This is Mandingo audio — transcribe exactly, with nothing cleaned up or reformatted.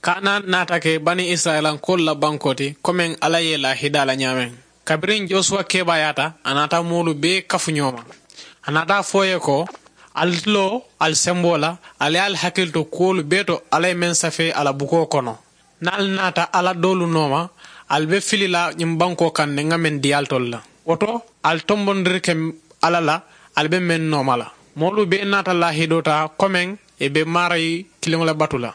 Kaana naata ke bani isirayilankoolu la bankoo ti, ko meŋ alla ye i laa hidaa la ñaameŋ. Kabiriŋ josuwa kebaayaata, a naata moolu bee kafu ñoo ma. A naata a fo ì ye ko, ali ti loo ali semboo la, ali ye ali hakili to kuwolu bee to alla ye meŋ safee a la bukoo kono. Niŋ ali naata alla doolu nooma, ali be fili la ñiŋ bankoo kaŋ ne ŋa meŋ dii ali tolu la. Wo to, ali tombondiri ke alla la, ali be meŋ nooma la. Moolu bee naata laahidoo taa ko meŋ ì be maarayi kiliŋo le batu la.